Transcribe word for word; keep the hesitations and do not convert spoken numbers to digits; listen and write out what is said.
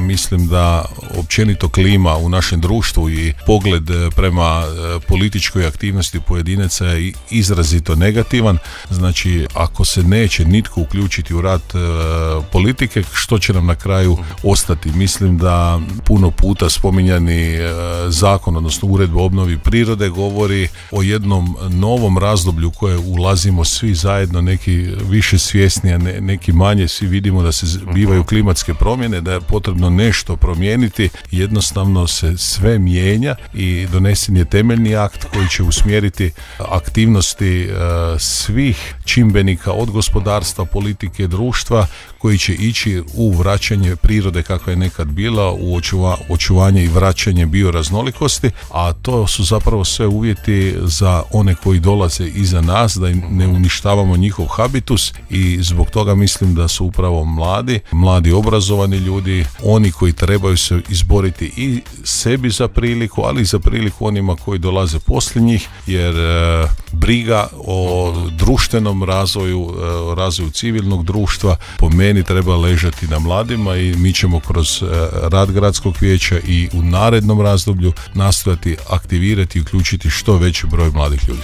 mislim da općenito klima u našem društvu i pogled prema političkoj aktivnosti pojedinaca je izrazito negativan. Znači, ako se neće nitko uključiti u rad e, politike, što će nam na kraju ostati? Mislim da puno puta spominjani e, zakon, odnosno uredba o obnovi prirode, govori o jednom novom razdoblju u koje ulazimo svi zajedno, neki više svjesni, a ne, neki manje. Svi vidimo da se bivaju klimatske promjene, da je potrebno nešto promijeniti. Jednostavno se sve mijenja i donesen je temeljni akt koji će usmjeriti aktivnosti e, svih čimbenika od gospodarstva, politike, društva, koji će ići u vraćanje prirode kakva je nekad bila, u očuva, očuvanje i vraćanje bioraznolikosti, a to su zapravo sve uvjeti za one koji dolaze iza nas, da ne uništavamo njihov habitus, i zbog toga mislim da su upravo mladi, mladi obrazovani ljudi, oni koji trebaju se izboriti i sebi za priliku, ali i za priliku onima koji dolaze poslije njih, jer e, briga o društvenom razvoju, e, razvoju civilnog društva po meni treba ležati na mladima, i mi ćemo kroz e, rad gradskog vijeća i u narednom razdoblju nastojati aktivirati i uključiti što veći broj mladih ljudi.